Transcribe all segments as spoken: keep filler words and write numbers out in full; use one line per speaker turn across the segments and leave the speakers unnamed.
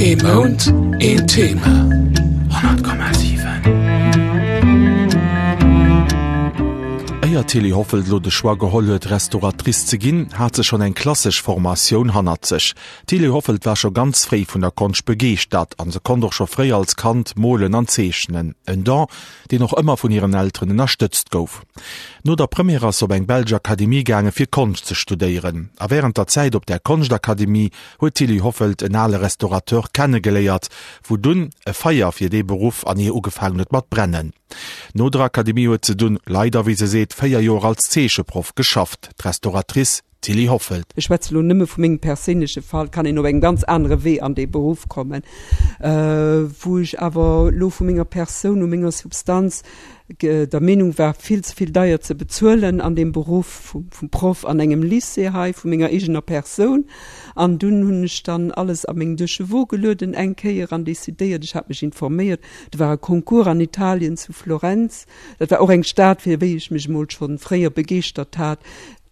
Ee Mount, een Thema. honnert Komma siwen.
Éier d'Tilly Hoffelt lo de Choix geholl huet, Restauratrice ze ginn, hat se schonn eng klassesch Formatioun hannert sech. D'Tilly Hoffelt war scho ganz fréi vun der Konscht begeeschtert an se konnt och scho fréi als Kand molen an zeechnen. En Don, deen och ëmmer vun hiren Elteren ënnerstëtzt gouf. No der Première ass se op eng belsch Akademie gaange fir Konscht ze studéieren. A wärend der Zäit op där Konschtakademie huet d'Tilly Hoffelt en ale Restaurateur kennegeléiert, wou dunn e Feier fir dee Beruff an hir ugefaangen huet mat brennen. No der Akademie huet se dunn, leider wéi se seet, véier Joer als Zeecheproff geschafft. D'Restauratrice Tilly Hoffelt.
Ech schwätze lo nëmme vu mengem perséinleche Fall, kann een op engem ganz anere Wee an dee Beruff kommen, wou ech awer lo vu menger Persoun u menger Substanz der Meenung war, vill ze vill deier ze bezuelen an deem Beruff vum Proff an engem Lycée hei, vu menger eegener Persoun. An dunn hunn ech dann alles a meng Deux-chevaux gelueden eng Kéier an decidéiert, ech hat mech informéiert, do war e Concours an Italien zu Florenz, dat war och eng Stad, fir wéi ech mech emol schonn fréier begeeschtert hat,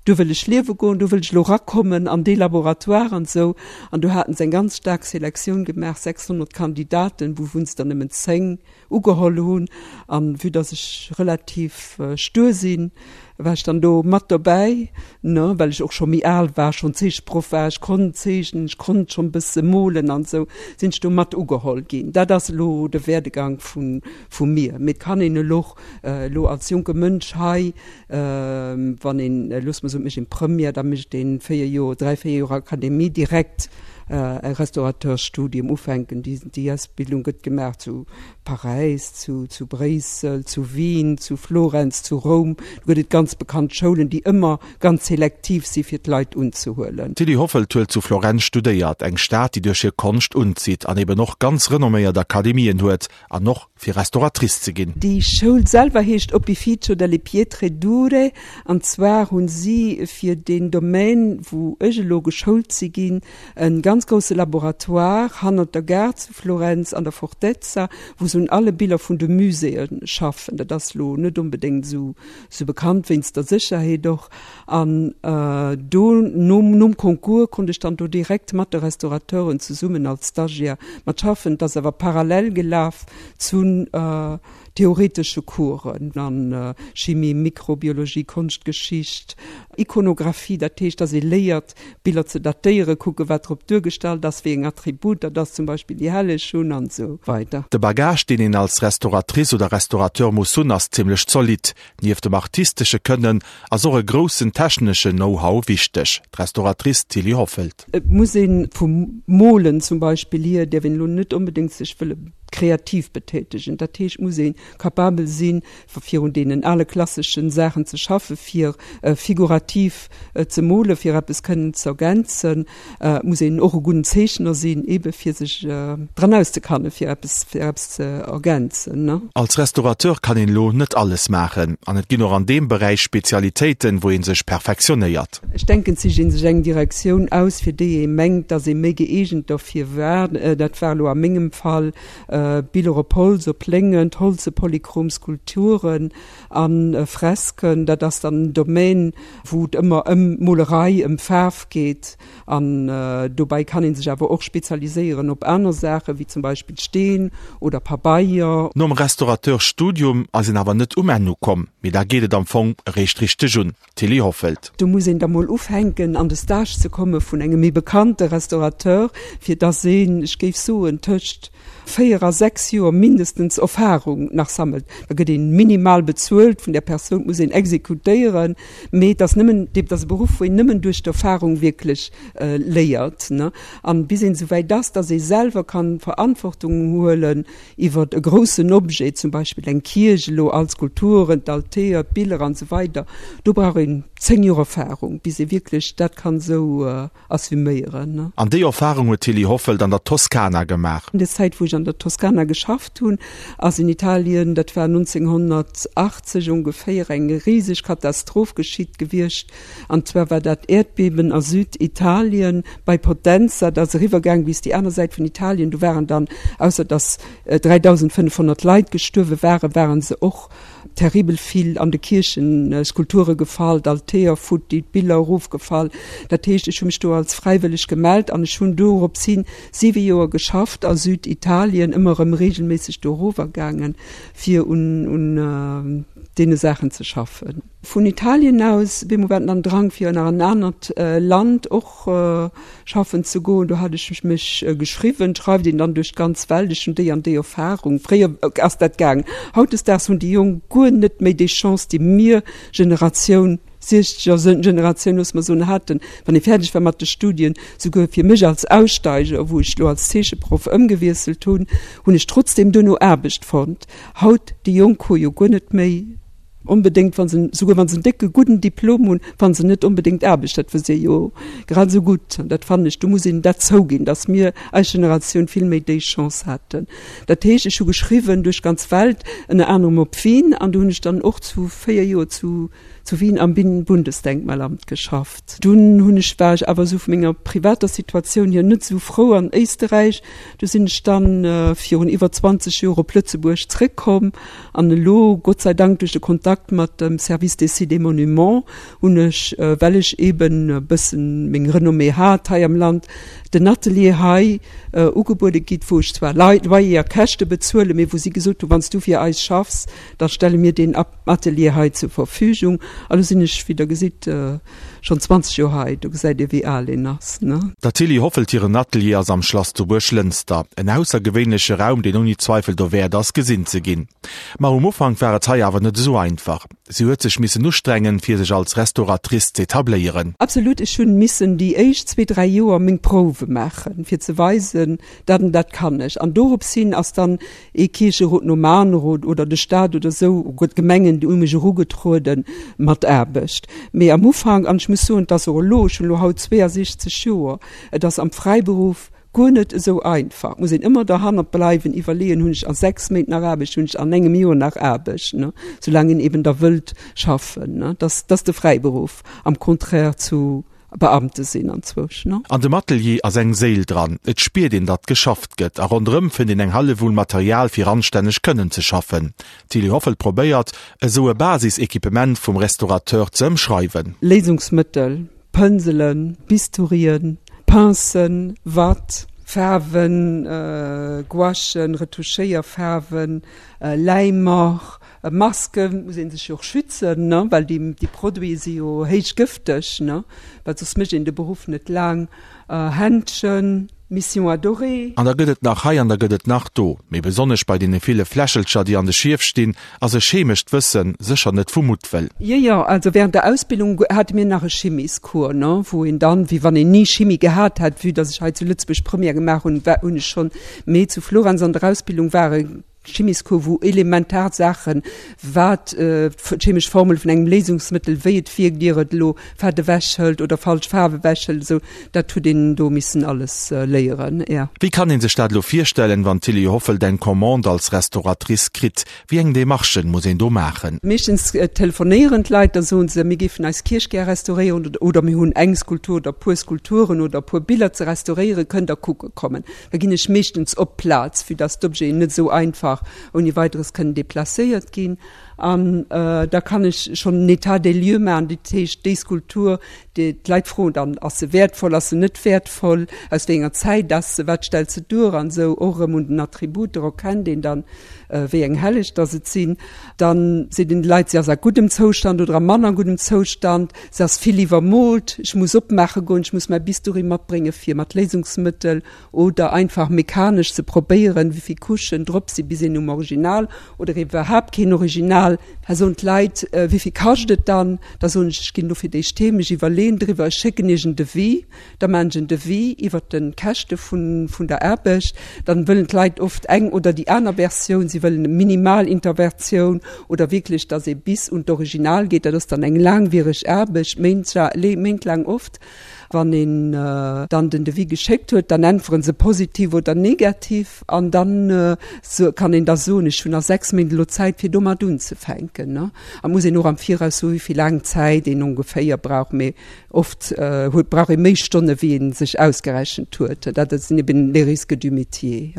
do wëll ech liewe goen, do wëll ech elo erakommen an dee Laboratoire an esou. An do haten se eng ganz staark Selektioun gemaach, sechshonnert Kandidaten, wouvun se der nëmmen zéng ugeholl hunn. An vue dass ech relativ stur sinn, war ech dann do mat dobäi, ne, well ech och scho méi al war, schonn Zeecheproff war, ech konnt zeechnen, ech konnt schonn e bësse molen an esou, sinn ech do mat ugeholl ginn. Dat ass elo de Werdegang vu vu mir. Mee et kann een elo och elo als jonke Mënsch hei, wann een, loosse mer soen, et mécht een Première, da mécht een véier Joer, dräi, véier Joer Akademie, direkt e Restaurateursstudium ufänken. Déi déi Ausbildung gëtt gemaach zu Paräis, zu zu Bréissel, zu Wien, zu Florenz, zu Roum. Do gëtt et ganz bekannt Schoulen, déi ëmmer ganz selektiv si fir d'Leit unzehuelen.
D'Tilly Hoffelt huet zu Florenz studéiert, eng Stad, déi duerch hir Konscht unzitt an eben och ganz renomméiert Akademien huet an och fir Restauratrice ze ginn.
Déi Schoul selwer heescht Opificio delle Pietre Dure an zwar hu si fir deen Domaine, wou ech elo geschoult si ginn, e ganz grousse Laboratoire hannert der Gare zu Florenz an der Fortezza, wou se un alle Biller vun de Muséeë schaffen. Dat ass elo net onbedéngt esou bekannt, wéinst der Sécherheet och. An do nom nom Concours konnt ech dann do direkt mat de Restaurateuren zesummen als Stagiaire mat schaffen. Et ass awer parallel gelaf zu theoretesche Coursen an Chimie, Mikrobiologie, Konschtgeschicht, Ikonographie, dat heescht, dass ee léiert, Biller ze datéieren, kucken, wat drop duergestallt ass, wéi eng Attributer dass zum Beispill déi Helleg hunn an esou weider.
De Bagage, deen een als Restauratrice oder Restaurateur muss hunn, ass zimmlech zolidd. Nieft dem artistesche Kënnen ass och e groussen techneschen Know-how wichteg. D'Restauratrice Tilly Hoffelt.
Et muss ee vum Molen zum Beispill hier, däerf een elo net onbedéngt sech wëlle kreativ betätegen. Dat heescht, et muss ee capabel sinn, virun deenen ale klasseschen Saachen ze schaffen, fir figurativ ze molen, fir eppes kënnen ze ergänzen. Et muss een och e gudden Zeechner sinn, eebe fir sech dran auszekannen, fir eppes, fir eppes ze ergänzen.
Als Restaurateur kann een elo net alles maachen an et ginn och an deem Beräich Spezialitéiten, wou ee sech perfektionéiert.
Ech denken, et sicht ee sech eng Direktioun aus, fir déi ee mengt, datt ee méi gëeegent derfir war. Dat war elo a mengem Fall Biller op Holz, op Léngent, holze polychrom Skulpturen a Fresken. Dat ass dann en Domaine, wou et ëmmer ëm Molerei, ëm Faarf geet. An dobäi kann ee sech awer och spezialiséieren op aner Saachen, wéi zum Beispill Steen oder Pabeier.
Nom Restaurateur-Studium ass een awer net um Enn ukomm, mee da geet et am Fong eréischt richteg un. Tilly Hoffelt.
Do muss een da mol ufänken an de Stage ze komme vun engem méi bekannte Restaurateur, fir dass een, ech géif soen, tëscht véier a sechs Joer mindestens Erfahrung nach sammelt. Da gëtt een minimal bezuelt vun där Persoun, et muss een exekutéieren, mee et ass nëmmen, et ass e Beruff, wou een nëmmen duerch d'Erfahrung wierklech léiert, ne. An bis een esouwäit ass, dass ee selwer kann Verantwortung huelen iwwert e groussen Objet, zum Beispill eng Kierch elo, all d'Skulpturen, d'Altäer, d'Biller an esou weider, do brauch een zéng Joer Erfahrung, bis ee wierklech dat kann esou assuméieren.
An déi Erfahrung huet d'Tilly Hoffelt an der Toskana gemaach.
An der Zäit, wou ech an der Toskana geschafft hunn, ass in Italien, dat war nonzénghonnertachtzeg ongeféier, eng riseg Katastroph geschitt gewiescht. An zwar war dat Äerdbeben a Süditalien bei Potenza. Dat ass eriwwergaang bis déi aner Säit vun Italien. Do waren dann, ausser datt dräidausendfënnefhonnert Leit gestuerwe waren, waren se och terribel vill an de Kierchen Skulpture gefall, d'Altäer futti, d'Biller erofgefall. Dat heescht, ech hu mech do als fräiwëlleg gemellt an ech hunn dorops hin siwe Joer geschafft a Süditalien, ëmmer erëm reegelméisseg do erower gaangen, fir un un deene Saachen ze schaffen. Vun Italien aus, bemol war dann Drang fir nach an en anert Land och schaffen ze goen. Do hat ech mech geschriwwen, schreift een dann duerch d'ganz Welt, ech hunn déi an déi Erfahrung. Fréier ass dat gaangen, hautdesdaags hunn déi Jonk guer net méi déi Chance, déi mir Generatioun, siechzeger Generatioun, loosse mer soen, haten, wann ee fäerdeg war mat de Studien. Souguer fir mech als Aussteiger, wou ech elo als Zeecheproff ëmgewiesselt hunn, hunn ech trotzdeem duerno Aarbecht fonnt. Haut, déi Jonk hu jo guer net méi onbedéngt, wa se, souguer wa se en décke gudden Diplom hunn, fanne se net onbedéngt Aarbecht. Dat wësst Dir jo grad esou gutt. An dat fannen ech, do muss een dat zouginn, datt mir, eis Generatioun, vill méi déi Chance haten. Dat heescht, ech hu geschriwwen duerch d'ganz Welt, ënner anerem op Wien, an do hunn ech dann och zu véier Joer zu zu Wien am Bundesdenkmalamt geschafft. Dunn hunn ech, war ech awer esou vu menger privater Situatioun hier net esou frou an Éisterräich. Du sinn ech dann virun iwwer zwanzeg Joer op Lëtzebuerg zréckkomm an elo, Gott sei Dank duerch de Kontakt mat dem Service des Sites et Monuments, hunn ech, well ech eben e bëssen meng Renommée hat hei am Land, den Atelier hei ugebuede gitt, wou ech zwar Loyer a Käschte bezuelen, mee wou si gesot hunn, wann s du fir eis schaffs, da stelle mir deen Atelier hei zur Verfügung. A lo sinn ech, wéi Der gesitt, schonn zwanzeg Joer hei. Do gesäit Dir, wéi al een ass, ne?
Der Tilly Hoffelt hiren Atelier ass am Schlass zu Buerglënster. En aussergewéinleche Raum, deen ouni Zweifel dowäert ass, gesinn ze ginn. Ma um Ufank war et hei awer net esou einfach. Si huet sech missen ustrengen, fir sech als Restauratrice z'etabléieren.
Absolut, ech hunn missen déi éischt zwee, dräi Joer meng Prouwe maachen, fir ze weisen, dat an dat kann ech. An dorops hin ass dann ee Kiercherot nom anere oder de Staat oder esou, d'Gemengen, déi u mech erugetrueden mat Aarbecht. Mee am Ufank, an ech muss soen, et ass och elo, ech hunn elo haut zweeësechzeg Joer, et ass am Fräiberuff guer net esou einfach. Et muss een ëmmer derhannert bleiwen, iwwerleeën, hunn ech a sechs Méint nach Aarbecht, hunn ech an engem Joer nach Aarbecht, ne, soulaang een eben da wëllt schaffen, ne. Dat ass de Fräiberuff am Contraire zu Beamte sinn anzwousch, ne.
An dem Atelier ass eng Séil dran. Et spiert een, datt geschafft gëtt a ronderëm fënnt een eng Hallewull Material fir anstänneg kënnen ze schaffen. D'Tilly Hoffelt probéiert, esou e Basis-Equipement vum Restaurateur ze ëmschreiwen.
Léisungsmëttel, Pënselen, Bisturien, Pincen, Watt, Faarwen, Gouachen, Retouchéierfaarwen, Läimer, Maske, muss ee sech jo och schützen, ne, well déi Produite si jo héich gëfteg, ne, well soss mécht een de Beruff net laang, Händschen, Mission Adorée.
An da gëtt et nach hei an da gëtt et nach do. Mee besonnesch bei deene ville Fläschelcher, déi an de Schief stinn, ass e chemescht Wësse sécher net vu Muttwëll.
Jo, jo, also während der Ausbildung hate mir nach e Chimiscours, ne, wou een dann, wéi wann een ni Chimie gehat hätt, vue dass ech hei zu Lëtzebuerg Première gemaach hunn, war, hunn ech schonn, mee zu Florenz an der Ausbildung war e Chimiscours, wou elementar Saachen, wat d'chemesch Formel vun engem Léisungsmëttel, wéi et wierkt, ier et elo Fett ewechhëlt oder falsch Faarf ewechhëlt, esou, dat huet een do missen alles léieren, jo.
Wéi kann ee sech dat elo virstellen, wann d'Tilly Hoffelt eng Commande als Restauratrice kritt? Wéi eng Demarchen muss een do maachen?
Meeschtens telefonéieren d'Leit, da soen se, mir géifen eis Kierch gär restauréieren oder mir hunn eng Skulptur oder e puer Skulpturen oder e puer Biller ze restauréieren, kënnt der kucke kommen. Da ginn ech meeschtens op d'Plaz, vue dass d'Objeten net esou einfach ouni Weideres kënnen deplacéiert ginn. An da kann ech schonn en État des lieux maachen, dat heescht déi Skulptur, déi d'Leit froen dann, ass se wäertvoll, ass se net wäertvoll, aus wéi enger Zäit ass se, wat stellt se duer an esou. Och erëm un den Attributer erkennt een dann, wéi eng Helleg dass et sinn. Dann seet een de Leit, se ass a guddem Zoustand oder a manner guddem Zoustand, se ass vill iwwermoolt, ech muss opmaache goen, ech muss mäi Bistouri matbrénge fir mat Léisungsmëttel oder einfach mechanesch ze probéieren, wéivill Couchen drop si bis een um Original oder iwwerhaapt keen Original. Da soen d'Leit, wéivill kascht et dann? Da soen ech, ech ginn elo fir d'éischt heem, ech iwwerleeën driwwer, ech schécken iech en Devis. Da maachen ech en Devis iwwert de Käschte vun der Aarbecht. Dann wëllen d'Leit oft eng oder déi aner Versioun, si wëllen e Minimalintervertioun oder wierklech, datt ee bis un d'Original geet. Dat ass dann eng laangwiereg Aarbecht, méintlaang oft. Wann een dann den Devis geschéckt huet, dann äntweren se positiv oder negativ an dann kann een da soen, ech hunn nach sechs Méint elo Zäit fir domat unzefänken. A muss een och am Viraus soen, wéi vill laang Zäit een ongeféier brauch, mee oft huet brauch ee méi Stonne wéi ee sech ausgerechent huet. Dat sinn eben les risques du métier.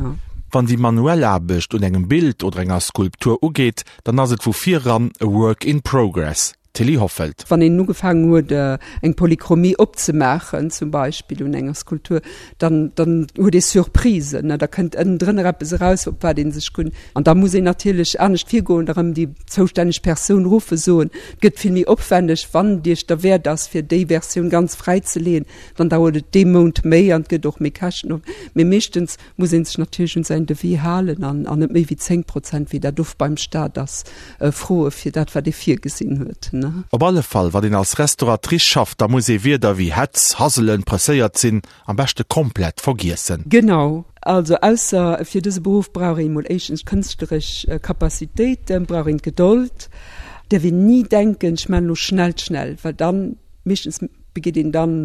Wann déi manuell Aarbecht un engem Bild oder enger Skulptur ugeet, dann ass et vu viran e Work in progress. Tilly Hoffelt.
Wann een ugefaangen huet eng Polychromie opzemaachen, zum Beispill un enger Skulptur, dann dann huet ee Surprisen, ne, da kënnt ënnendrënner eppes eraus, op wat ee sech guer. An da muss een natierlech anescht virgoen, da rëm déi zoustänneg Persoun ruffen, soen, et gëtt vill méi opwänneg, wann et Iech derwäert ass, fir déi Versioun ganz fräizeleeën, dann dauert et dee Mount méi an et gëtt och méi Käschten. Mee meeschtens muss ee sech natierlech un säin Devis halen an an net méi wéi zéng Prozent, wéi dat oft beim Staat ass, froe fir dat, wat ee virgesinn huet.
Op alle Fall, wann een als Restauratrice schafft, da muss ee Wierder wéi Hetz, Hasselen, presséiert sinn am beschte komplett vergiessen.
Genau. Also ausser fir dëse Beruff brauch een emol éischtens kënschtleresch Capacitéiten, brauch een d'Gedold, däerf een ni denken, ech maachen elo schnell, schnell, well dann, meeschtens begeet een dann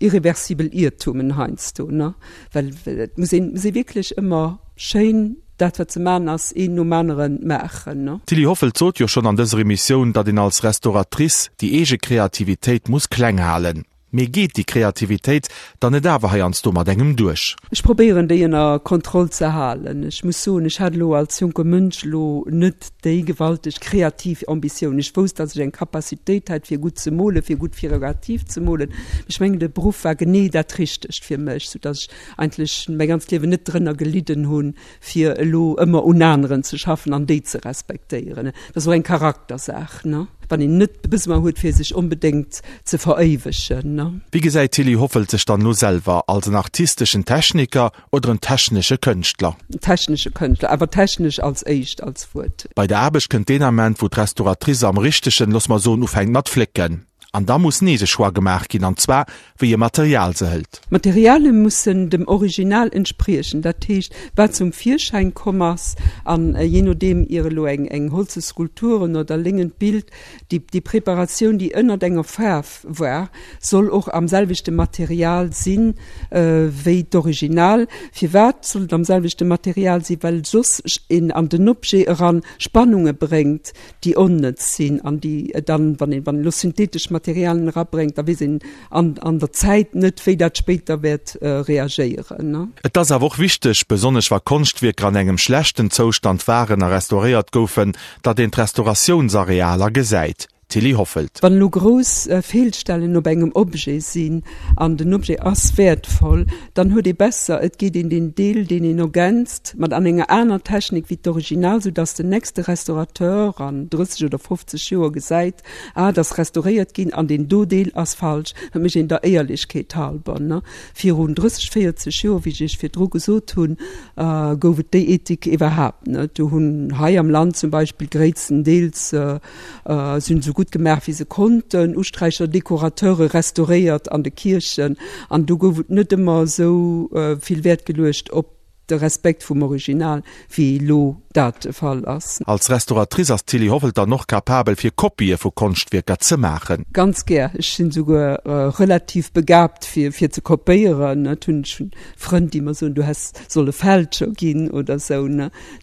irreversibel Iertumen heiansdo, ne, well et muss een, muss ee wierklech ëmmer schéin dat wat ze man ass, een nom anere maachen, ne.
D'Tilly Hoffelt sot jo schonn an dëser Emissioun, datt een als Restauratrice déi eege Kreativitéit muss kleng halen. Mee geet déi Kreativitéit dann net awer heiansdo mat engem duerch?
Ech probéieren déi ënner Kontroll ze halen. Ech muss soen, ech hat elo als jonke Mënsch elo net déi gewalteg kreativ Ambitioun. Ech wousst, datt ech eng Capacitéit hat fir gutt ze molen, fir gutt figurativ ze molen. Ech mengen, de Beruff war genee dat Richtegt fir mech, soudatt ech eigentlech mäi ganzt Liewen net drënner gelidden hunn, fir elo ëmmer un aneren ze schaffen an déi ze respektéieren. Dat ass och eng Charaktersaach, ne? Wann een net de Besoin huet, fir sech onbedéngt ze veréiwegen, ne?
Wéi gesäit d'Tilly Hoffelt sech dann elo selwer? Als en artisteschen Techniker oder en technesche Kënschtler?
En technesche Kënschtler, awer technesch als éischt als Wuert.
Bei der Aarbecht kënnt deen Ament, wou d'Restauratrice am richtegen, looss mer soen, ufänkt mat flécken. An da muss nees e Choix gemaach ginn, an zwar wéi e Material se hëlt.
D'Materialie mussen dem Original entspriechen, dat heescht wat zum Virschäin komm ass, an jee nodeem ier elo eng eng holze Skulpturen oder léngend Bild, déi déi Preparatioun déi ënnert enger Faarf war, soll och am selwechte Material sinn wéi d'Original. Firwat soll et am selwechte Material sinn? Well soss een an den Objet eran Spannunge bréngt, déi onnëtz sinn an déi dann, wann een elo synthetesch Materialien erabréngt, da weess een an an der Zäit net, wéi dat spéider wäert reagéieren.
Et ass awer och wichteg, besonnesch wa Konschtwierker an engem schlechten Zoustand waren a restauréiert goufen, datt een d'Restauratiounsarealer gesäit. Tilly Hoffelt.
Wann elo grouss Feelstellen op engem Objet sinn an den Objet ass wäertvoll, dann huet ee besser, et geet een deen Deel, deen een ergänzt, mat an enger aner Technik wéi d'Original, sou dass den nächste Restaurateur an drësseg oder fofzeg Joer gesäit, ah, et ass restauréiert ginn an deen do Deel ass falsch. Dat mécht een der Éierlechkeet halber, ne. Virun drësseg, véierzeg Joer, wéi ech Iech virdru gesot hunn, gouf et déi Ethik iwwerhaapt net. Do hunn hei am Land zum Beispill gréisstendeels, Si hunn esou gutt gemaach, wéi se konnten, Usträicher, Dekorateure restauréiert an de Kierchen, an do gouf et net ëmmer esou vill Wäert geluecht op de Respekt vum Original, wéi elo dat de Fall ass.
Als Restauratrice ass d'Tilly Hoffelt dann och capabel, fir Kopië vu Konschtwierker ze maachen.
Ganz gär. Ech sinn esouguer relativ begaabt, fir ze kopéieren. Et hunn ech hunn Frënn, déi mer soen, du häss solle Fälscher ginn oder esou.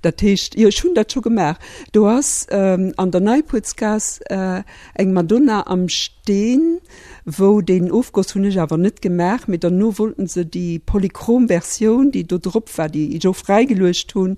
Dat heescht, jo, ech hunn dat scho gemaach. Do ass an der Neipuertsgaass eng Madonna am Steen, wou deen Ofgoss hunn ech awer net gemaach, mee derno wollten se déi polychrom Versioun, déi do drop war, déi ech och fräigeluecht hunn,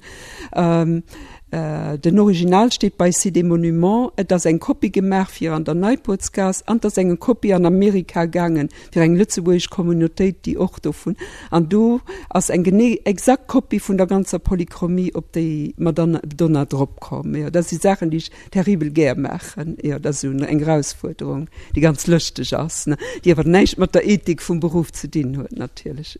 den Original steet bei Sites et Monuments, et ass eng Kopie gemaach fir an der Neipuertsgaass an et ass eng Kopie an Amerika gaangen fir eng lëtzebuergesch Communautéit, déi och dovun, an do ass eng genee exakt Kopie vun der ganzer Polychromie op déi Madonna drop komm. Jo, dat si Saachen, déi ech terribel gär maachen. Jo, dat ass esou eng Erausfuerderung, déi ganz lëschteg ass, déi awer näischt mat der Ethik vum Beruff ze dinn huet natierlech.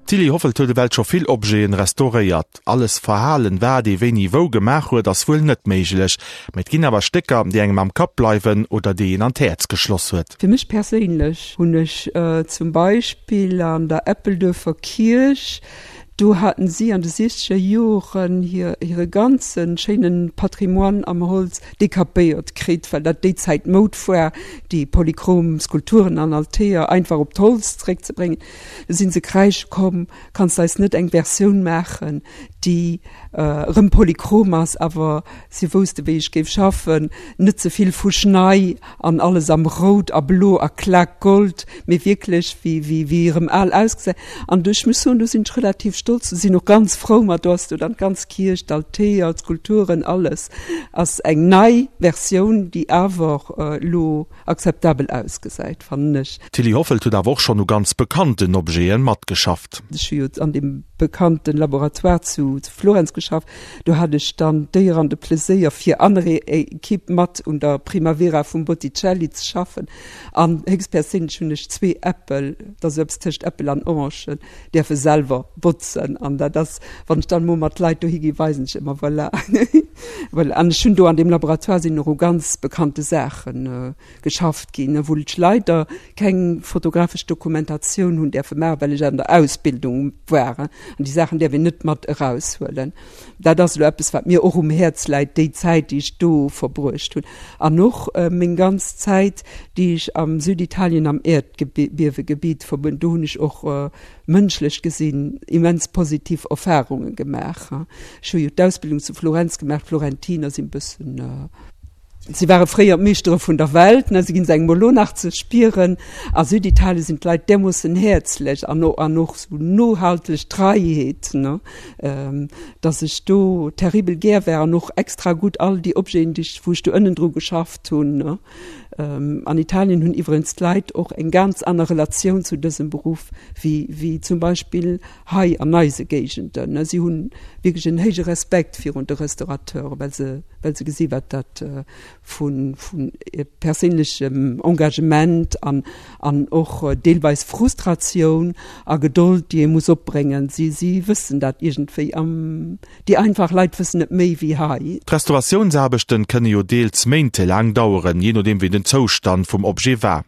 D'Tilly Hoffelt huet ewell scho vill Objeten restauréiert. Alles verhalen, wat ee wéini wou gemaach huet, ass wuel net méiglech, mä et ginn awer Stécker, déi engem am Kapp bleiwen oder déi een an d'Häerz geschloss huet.
Fir mech perséinlech hunn ech zum Beispill an der Eppelduerfer Kierch, do haten si an de siechzeger Joren hir hire ganze schéine Patrimoine am Holz dekapéiert kritt, well dat déi Zäit Moud war, déi polychrom Skulpturen an Altäer einfach op d'Holz zeréckzebréngen. Du sinn se kräische komm, Kanns de eis net eng Versioun maachen, déi erëm polychrom ass, awer si wousste wéi ech géif schaffen, net ze vill fuschnei an alles am Rout a Blo a Klakgold, mee wierklech wéi wéi erëm al ausgesäit. An ech muss soen, do sinn ech relativ stolz, do sinn och ganz frou mat, do ass do dann d'ganz Kierch, d'Altäer, d'Skulpturen, alles ass eng nei Versioun, déi awer elo akzeptabel ausgesäit, fannen ech.
D'Tilly Hoffelt huet awer och schonn u ganz bekannten Objete matgeschafft.
Ech hu jo an deem bekannten Laboratoire zu Florenz geschafft, do hat ech dann d'Éier an de Pleséier fir aner Equipe mat un der Primavera vum Botticelli ze schaffen an héchstperséinlech hunn ech zwee Äppel, dat ass eppes tëscht Äppel an Orangen, däerfe selwer botzen an dat ass, wann ech dann emol mat Leit dohi ginn, weisen ech ëmmer, voilà, voilà. An ech hunn do an deem Laboratoire sinn och u ganz bekannte Saache geschafft ginn, wou ech leider keng fotografesch Dokumentatioun hunn däerfe maachen, well ech an der Ausbildung war an déi Saachen däerf een net mat eraushuelen. Dat ass elo eppes, wat mir och um Häerz läit, déi Zäit, déi ech do verbruecht hunn an och meng ganz Zäit, déi ech am Süditalien am Äerdbiewegebitt verbruecht hunn. Do hunn ech och mënschlech gesinn immens positiv Erfarunge gemaach. Ech hu jo d'Ausbildung zu Florenz gemaach, d'Florentiner sinn e bëssen, si ware fréier d'Meeschtere vun der Welt, ne, se ginn se engem elo nach ze spieren. A Süditalien sinn d'Leit därmoossen häerzlech an an och sou nohalteg Treiheet, ne, dass ech do terribel gär war an och extra gutt all déi Objeten, déi ech, wou ech do ënnendru geschafft hunn, ne. An Italien hunn iwwerens d'Leit och eng ganz aner Relatioun zu dësem Beruff wéi, wéi zum Beispill hei an eise Géigenden. Si hunn wierklech en héije Respekt virun de Restaurateuren, well se, well se gesi wat dat vu, vu perséinlechem Engagement an, an och deelweis Frustratioun a Gedold, déi ee muss opbréngen. Si, si wëssen dat iergendwéi am, déi einfach Leit wëssen et méi wéi hei.
D'Restauratiounsaarbechten kënne jo deels méintelaang daueren, jee nodeem wéi den Zoustand vum Objet war.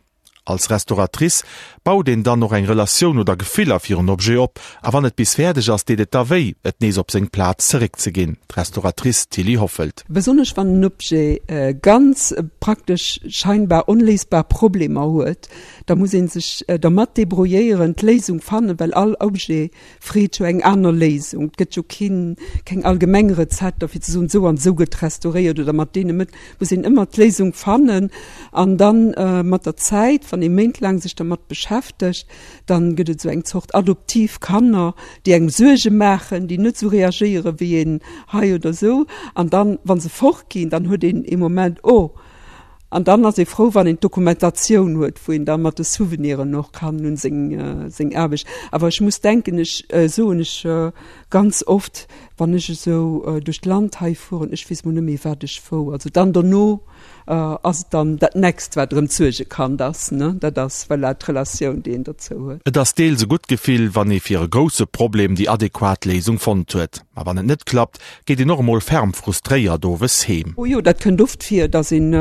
Als Restauratrice baut een dann och eng Relatioun oder Gefiller fir en Objet op, a wann et bis fäerdeg ass, deet et da wéi, et nees op seng Plaz zeréckzeginn. D'Restauratrice Tilly Hoffelt.
Besonnesch wann en Objet ganz praktesch scheinbar onléisbar Problemer huet, da muss ee sech dermat debrouilléieren, d'Léisung fannen, well all Objet freet jo eng aner Léisung. Et gëtt jo keen, keng allgemeng Rezepter fir ze soen, esou an esou gëtt restauréiert oder mat deene Mëttelen. Muss een ëmmer d'Léisung fannen an dann mat der Zäit, wann ee méintlaang sech dermat beschäftegt, dann gëtt et esou eng Zort adoptiv Kanner, déi engem Suerge maachen, déi net esou reagéiere wéi een hei oder esou. An dann, wa se fortginn, dann huet een ee Moment, oh, An dann ass ee frou, wann een d'Dokumentatioun huet, wou een da mat de Souveniren och kann un seng, seng Aarbecht. Awer ech muss denken, ech soen ech ganz oft, wann ech esou duerch d'Land hei fueren, ech weess mol net méi, wat ech wou. Also dann dono ass et dann dat nächst, wat erëm d'Suergekand ass, ne? Dat ass, voilà, d'Relatioun, déi een dozou huet.
Et ass deels e gutt Gefill, wann ee fir e grousse Problem déi adequat Léisung fonnt huet. Ma wann et net klappt, geet een och emol ferm frustréiert owes heem.
O jo, dat kënnt oft vir, dass een,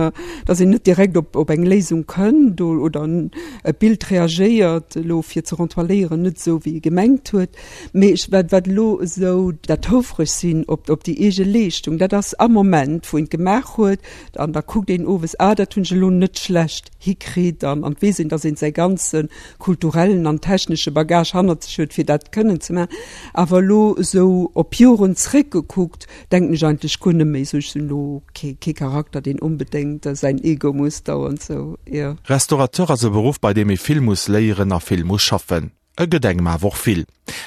dass een net direkt op, op eng Léisung kënnt oder e Bild reagéiert elo fir ze rentoiléieren net esou wéi ee gemengt huet. Mee ech, wat, wat elo esou dat houfreg sinn op, op déi eege Leeschtung, dat ass am Moment wou een et gemaach huet an da kuckt een owes, ah dat hunn ech elo net schlecht hikritt an, an et weess een, dass een säi ganze kulturellen an technesche Bagage hannert sech huet, fir dat kënnen ze maachen. Awer elo esou op Joren zréckgekuckt, denken ech eigentlech guer net méi esou. Ech sinn elo kee, kee Charakter, deen onbedéngt säin Ego muss dauernd esou, jo.
Restaurateur ass e Beruff, bei deem ee vill muss léieren a vill muss schaffen. E gëtt engem awer och vill.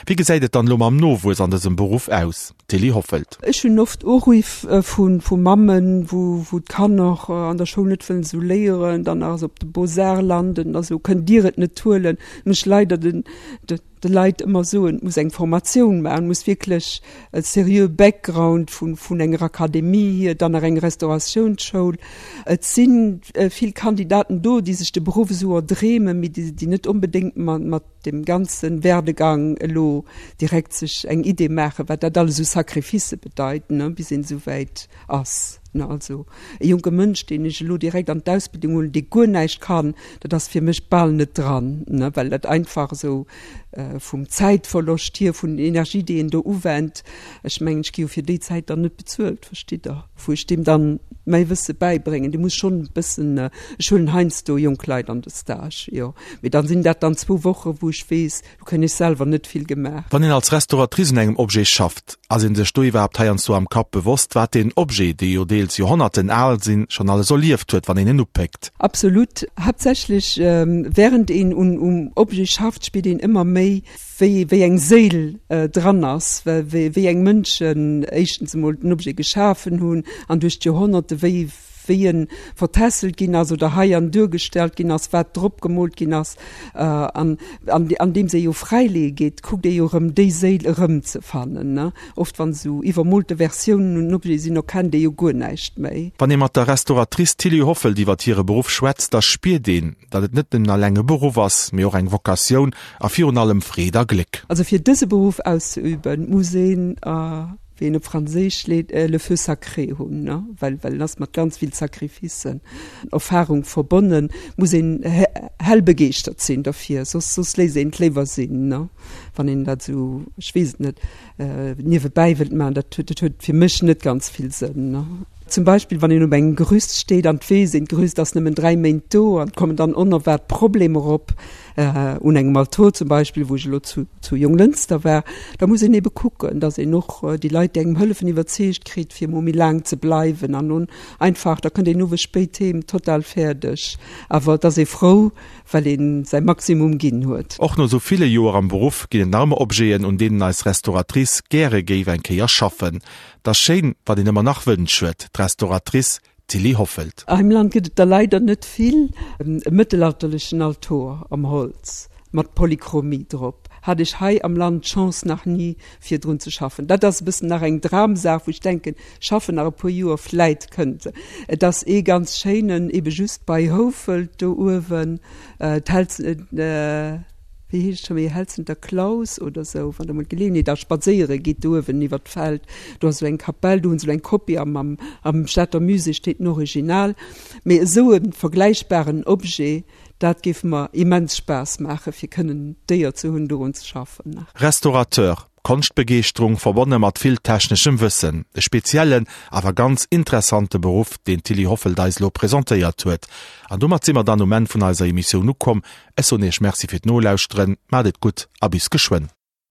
Wéi gesäit et dann elo mam Nowuess an dësem Beruff aus? Tilly Hoffelt.
Ech hunn oft Uriff vu Mammen, wou d'Kanner an der Schoul net wëllen esou léieren, dann nach esou op de Beaux-Arts landen a sou, Kënnt Dir et net huelen? Muss ech leider de Leit ëmmer soen, et muss eng Formatioun maachen, et muss wierklech e serieux Background vun enger Akademie hier, dann nach eng Restauratiounsschoul. Et si vill Kandidaten do, déi sech de Beruff esou erdreemen, mee déi net onbedéngt mat dem ganze Werdegang elo direkt sech eng Idee maachen, wat dat alles u Sacrificë bedeit, ne, bis een esou wäit ass, ne. Also e jonke Mënsch, deen ech elo direkt an d'Ausbildung huelen, dee guer näischt kann, dat ass fir mech bal net dran, ne, well dat einfach esou vum Zäitverloscht hier, vun Energie, déi een do uwennt, ech mengen, ech gi jo fir déi Zäit dann net bezuelt, verstitt Der, wou ech deem dann mäi Wësse bäibréngen. Dee muss schonn e bëssen, ech huelen heiansdo jonk Leit an de Stage, jo, mee dann sinn dat dann zwou Woche wou ech weess, do kréien ech selwer net vill gemaach.
Wann een als Restauratrice un engem Objet schafft, ass ee sech do iwwerhaapt heiansdo am Kapp bewosst, wat deen Objet, déi jo deels Joerhonnerten al sinn, schonn alles erlieft huet, wann een en upéckt?
Absolut. Haaptsächlech wärend een un um Objet schafft, spiert een ëmmer méi, wéi wéi eng Séil dran ass, wéi wéi eng Mënschen éischtens emol den Objet geschafen hunn an duerch d'Joerhonnerte wéi wéi en vertässelt ginn ass oder hei an duergestallt ginn ass, wat drop gemoolt ginn ass. An andeems ee jo fräileeë geet, kuckt ee jo erëm déi Séil erëmzefannen, ne. Oft wann esou iwwermoolte Versiounen un Objete sinn, erkennt ee jo guer näischt méi.
Wann ee mat der Restauratrice Tilly Hoffelt iwwert hire Beruff schwätzt, da spiert een, datt et net nëmmen alleng e Beruff ass, mee och eng Vocatioun a virun allem Freed a Gléck.
Also fir dëse Beruff auszeüben, muss een wéi een op Franséisch leet, le feu sacré hunn, ne, well well en ass mat ganz vill Sacrificen, Erfahrung verbonnen, muss een hell begeeschtert sinn derfir, soss soss léisst een et léiwer sinn, ne, wann een dat esou, ech weess et net, niewebäi wëllt maachen, dat huet dat huet fir mech net ganz vill Sënn, ne. Zum Beispill wann een op engem Gerüst steet an et weess een, d'Gerüst ass nëmmen dräi Méint do an et kommen dann onerwaart Problemer op, un engem Altor zum Beispill, wou ech elo zu zu Jonglënster war, da muss een ebe kucken, datt een och déi Leit, déi engem hëllefen, iwwerzeegt kritt, fir emol méi laang ze bleiwen an nun einfach, da kënnt een owes spéit heem, total fäerdeg, awer et ass ee frou, well ee säi Maximum ginn huet.
Och no sou ville Joer am Beruff ginn et nach ëmmer Objeten, un deenen eis Restauratrice gäre géif eng Kéier schaffen. 't ass schéin, wat een ëmmer nach Wënsch huet, d'Restauratrice Tilly Hoffelt.
Hei am Land gëtt et der leider net vill. E mëttelalterlechen Altor am Holz mat Polychromie drop hat ech hei am Land d'Chance nach ni fir drun ze schaffen. Dat ass e bëssen nach eng Dramsaach, wou ech denken, schaffen nach e puer Joer, vläit kënnt se. Et ass ee ganz schéinen, ebe just bei Houfelt do uewen, d'Hälz, wéi heescht et scho méi, Helzenter Klaus oder sou, wann der mol d'Geleeënheet hat, spadséiere gitt do uewen iwwer d'Feld, do ass esou eng Kapell, do hunn se elo eng Kopie, am am am Stater Musée steet den Original. Mee esou e vergläichbaren Objet, dat géif mer immens Spaass maachen, fir kënnen d'Éier ze hunn, dorun ze schaffen.
Restaurateur, Konschtbegeeschterung verbonne mat vill techneschem Wëssen, e speziellen, awer ganz interessante Beruff, deen d'Tilly Hoffelt eis elo presentéiert huet. An domat si mer dann um Enn vun eiser Emissioun ukomm. Ech soen Iech Merci fir d'Nolauschteren, maacht et gutt a bis geschwënn.